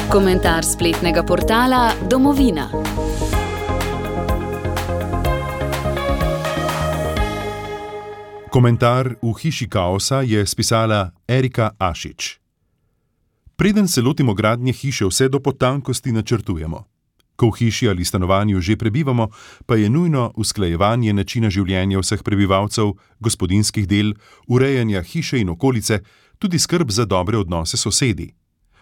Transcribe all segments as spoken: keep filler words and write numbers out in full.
Komentar spletnega portala Domovina. Komentar v hiši kaosa je spisala Erika Ašič. Preden se lotimo gradnje hiše, vse do potankosti načrtujemo. Ko v hiši ali stanovanju že prebivamo, pa je nujno usklajevanje načina življenja vseh prebivalcev, gospodinjskih del, urejanja hiše in okolice, tudi skrb za dobre odnose s sosedi.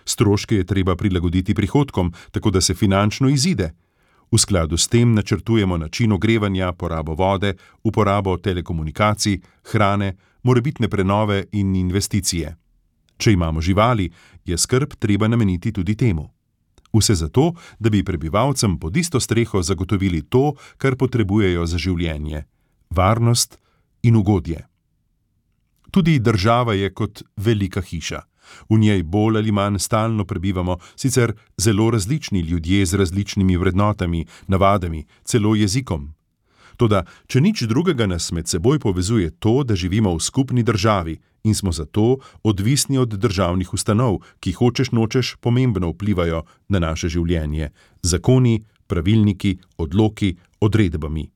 Stroške je treba prilagoditi prihodkom, tako da se finančno izide. V skladu s tem načrtujemo način ogrevanja, porabo vode, uporabo telekomunikacij, hrane, morebitne prenove in investicije. Če imamo živali, je skrb treba nameniti tudi temu. Vse zato, da bi prebivalcem pod isto streho zagotovili to, kar potrebujejo za življenje – varnost in ugodje. Tudi država je kot velika hiša. V njej bolj ali manj stalno prebivamo sicer zelo različni ljudje z različnimi vrednotami, navadami, celo jezikom. Toda, če nič drugega nas med seboj povezuje to, da živimo v skupni državi in smo zato odvisni od državnih ustanov, ki hočeš nočeš pomembno vplivajo na naše življenje, zakoni, pravilniki, odloki, odredbami.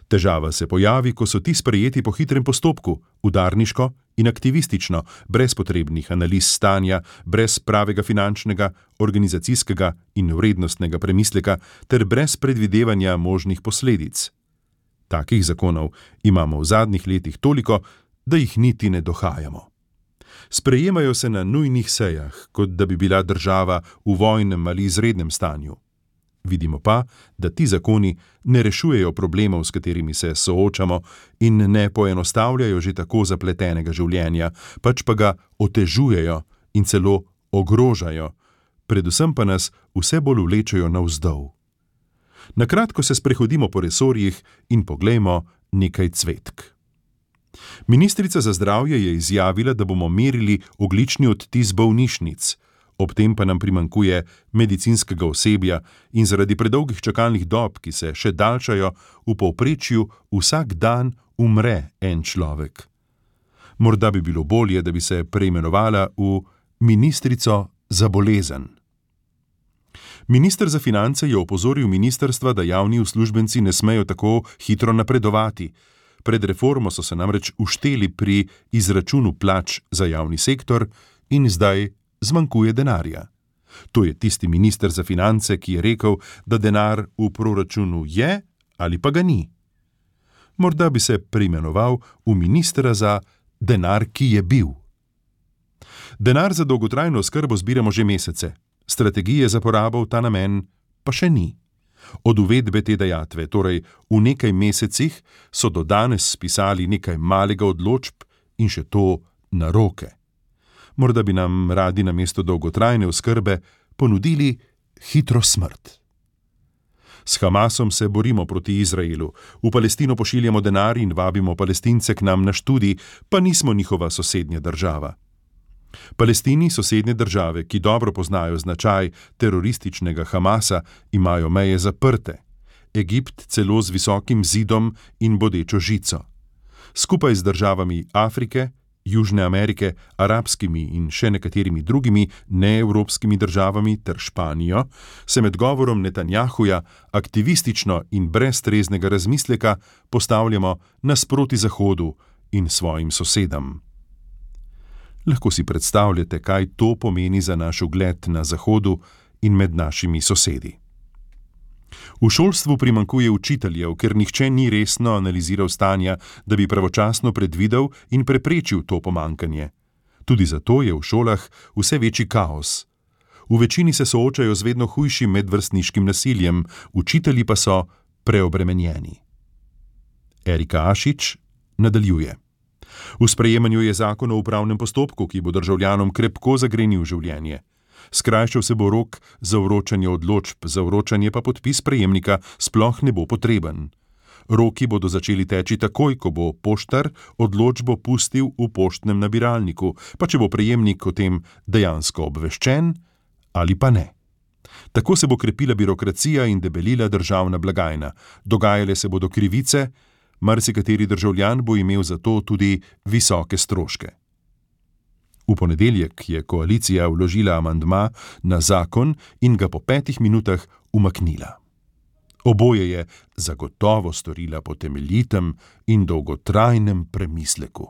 Težava se pojavi, ko so ti sprejeti po hitrem postopku, udarniško in aktivistično, brez potrebnih analiz stanja, brez pravega finančnega, organizacijskega in vrednostnega premisleka ter brez predvidevanja možnih posledic. Takih zakonov imamo v zadnjih letih toliko, da jih niti ne dohajamo. Sprejemajo se na nujnih sejah, kot da bi bila država v vojnem ali izrednem stanju. Vidimo pa, da ti zakoni ne rešujejo problemov, s katerimi se soočamo in ne poenostavljajo že tako zapletenega življenja, pač pa ga otežujejo in celo ogrožajo, predvsem pa nas vse bolj vlečejo navzdol. Na kratko se sprehodimo po resorjih in poglejmo nekaj cvetk. Ministrica za zdravje je izjavila, da bomo merili ogljični odtis bolnišnic, ob tem pa nam primanjkuje medicinskega osebja in zaradi predolgih čakalnih dob, ki se še daljšajo, v povprečju vsak dan umre en človek. Morda bi bilo bolje, da bi se preimenovala v ministrico za bolezen. Minister za finance je opozoril ministrstva, da javni uslužbenci ne smejo tako hitro napredovati. Pred reformo so se namreč ušteli pri izračunu plač za javni sektor in zdaj zmanjkuje denarja. To je tisti minister za finance, ki je rekel, da denar v proračunu je ali pa ga ni. Morda bi se preimenoval v ministra za denar, ki je bil. Denar za dolgotrajno oskrbo zbiramo že mesece, strategije za porabo v ta namen pa še ni. Od uvedbe te dajatve, torej v nekaj mesecih, so do danes spisali nekaj malega odločb in še to na roke. Morda bi nam radi namesto dolgotrajne oskrbe ponudili hitro smrt. S Hamasom se borimo proti Izraelu, v Palestino pošiljamo denar in vabimo Palestince k nam na študij, pa nismo njihova sosednja država. Palestini, sosednje države, ki dobro poznajo značaj terorističnega Hamasa, imajo meje zaprte. Egipt celo z visokim zidom in bodečo žico. Skupaj z državami Afrike, Južne Amerike, arabskimi in še nekaterimi drugimi neevropskimi državami ter Španijo, se med govorom Netanjahuja aktivistično in brez treznega razmisleka postavljamo nasproti Zahodu in svojim sosedam. Lahko si predstavljate, kaj to pomeni za naš ugled na Zahodu in med našimi sosedi. V šolstvu primanjkuje učiteljev, ker nihče ni resno analiziral stanja, da bi pravočasno predvidel in preprečil to pomanjkanje. Tudi zato je v šolah vse večji kaos. V večini se soočajo z vedno hujšim medvrstniškim nasiljem, učitelji pa so preobremenjeni. Erika Ašič nadaljuje. V sprejemanju je zakon o upravnem postopku, ki bo državljanom krepko zagrenil življenje. Skrajšal se bo rok za vročanje odločb, za vročanje pa podpis prejemnika sploh ne bo potreben. Roki bodo začeli teči takoj, ko bo poštar odločbo pustil v poštnem nabiralniku, pa če bo prejemnik o tem dejansko obveščen ali pa ne. Tako se bo krepila birokracija in debelila državna blagajna, dogajale se bodo krivice, marsikateri državljan bo imel za to tudi visoke stroške. V ponedeljek je koalicija vložila amandma na zakon in ga po petih minutah umaknila. Oboje je zagotovo storila po temeljitem in dolgotrajnem premisleku.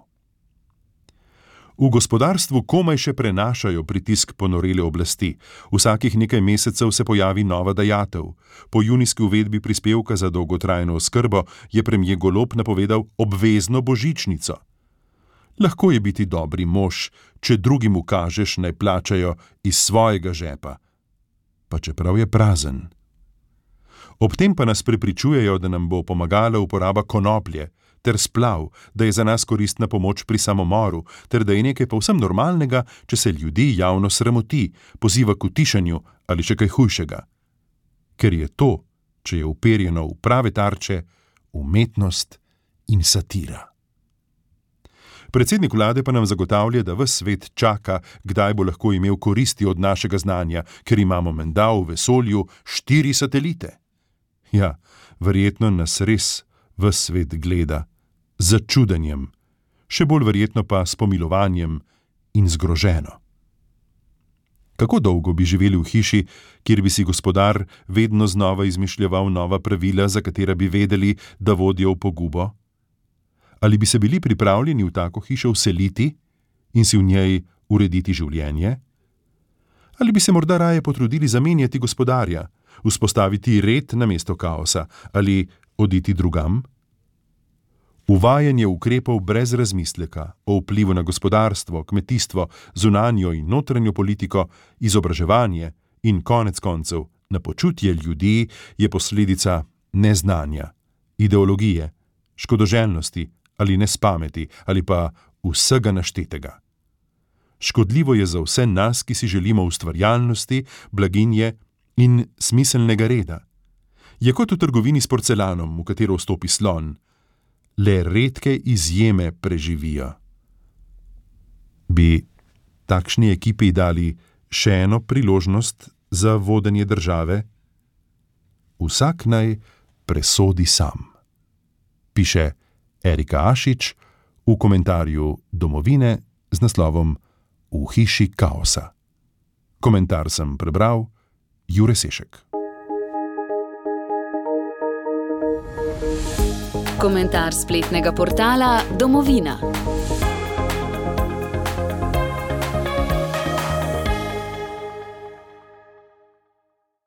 V gospodarstvu komaj še prenašajo pritisk ponorele oblasti. Vsakih nekaj mesecev se pojavi nova dajatev. Po junijski uvedbi prispevka za dolgotrajno oskrbo je premier Golob napovedal obvezno božičnico. Lahko je biti dobri mož, če drugim ukažeš, naj plačajo iz svojega žepa, pa čeprav je prazen. Ob tem pa nas prepričujejo, da nam bo pomagala uporaba konoplje ter splav, da je za nas koristna pomoč pri samomoru, ter da je nekaj povsem normalnega, če se ljudi javno sramoti, poziva k utišanju ali še kaj hujšega. Ker je to, če je uperjeno v prave tarče, umetnost in satira. Predsednik vlade pa nam zagotavlja, da ves svet čaka, kdaj bo lahko imel koristi od našega znanja, ker imamo menda v vesolju štiri satelite. Ja, verjetno nas res ves svet gleda, z začudenjem, še bolj verjetno pa s pomilovanjem in zgroženo. Kako dolgo bi živeli v hiši, kjer bi si gospodar vedno znova izmišljeval nova pravila, za katera bi vedeli, da vodijo v pogubo? Ali bi se bili pripravljeni v tako hišo vseliti in si v njej urediti življenje? Ali bi se morda raje potrudili zamenjati gospodarja, vzpostaviti red namesto kaosa ali oditi drugam? Uvajanje ukrepov brez razmisleka o vplivu na gospodarstvo, kmetijstvo, zunanjo in notranjo politiko, izobraževanje in konec koncev na počutje ljudi je posledica neznanja, ideologije, škodoželjnosti ali nespameti ali pa vsega naštetega. Škodljivo je za vse nas, ki si želimo ustvarjalnosti, blaginje in smiselnega reda. Je kot v trgovini s porcelanom, v katero vstopi slon. Le redke izjeme preživijo. Bi takšni ekipi dali še eno priložnost za vodenje države? Vsak naj presodi sam, piše Erika Ašič v komentarju Domovine z naslovom V hiši kaosa. Komentar sem prebral Jure Sešek. Komentar spletnega portala Domovina.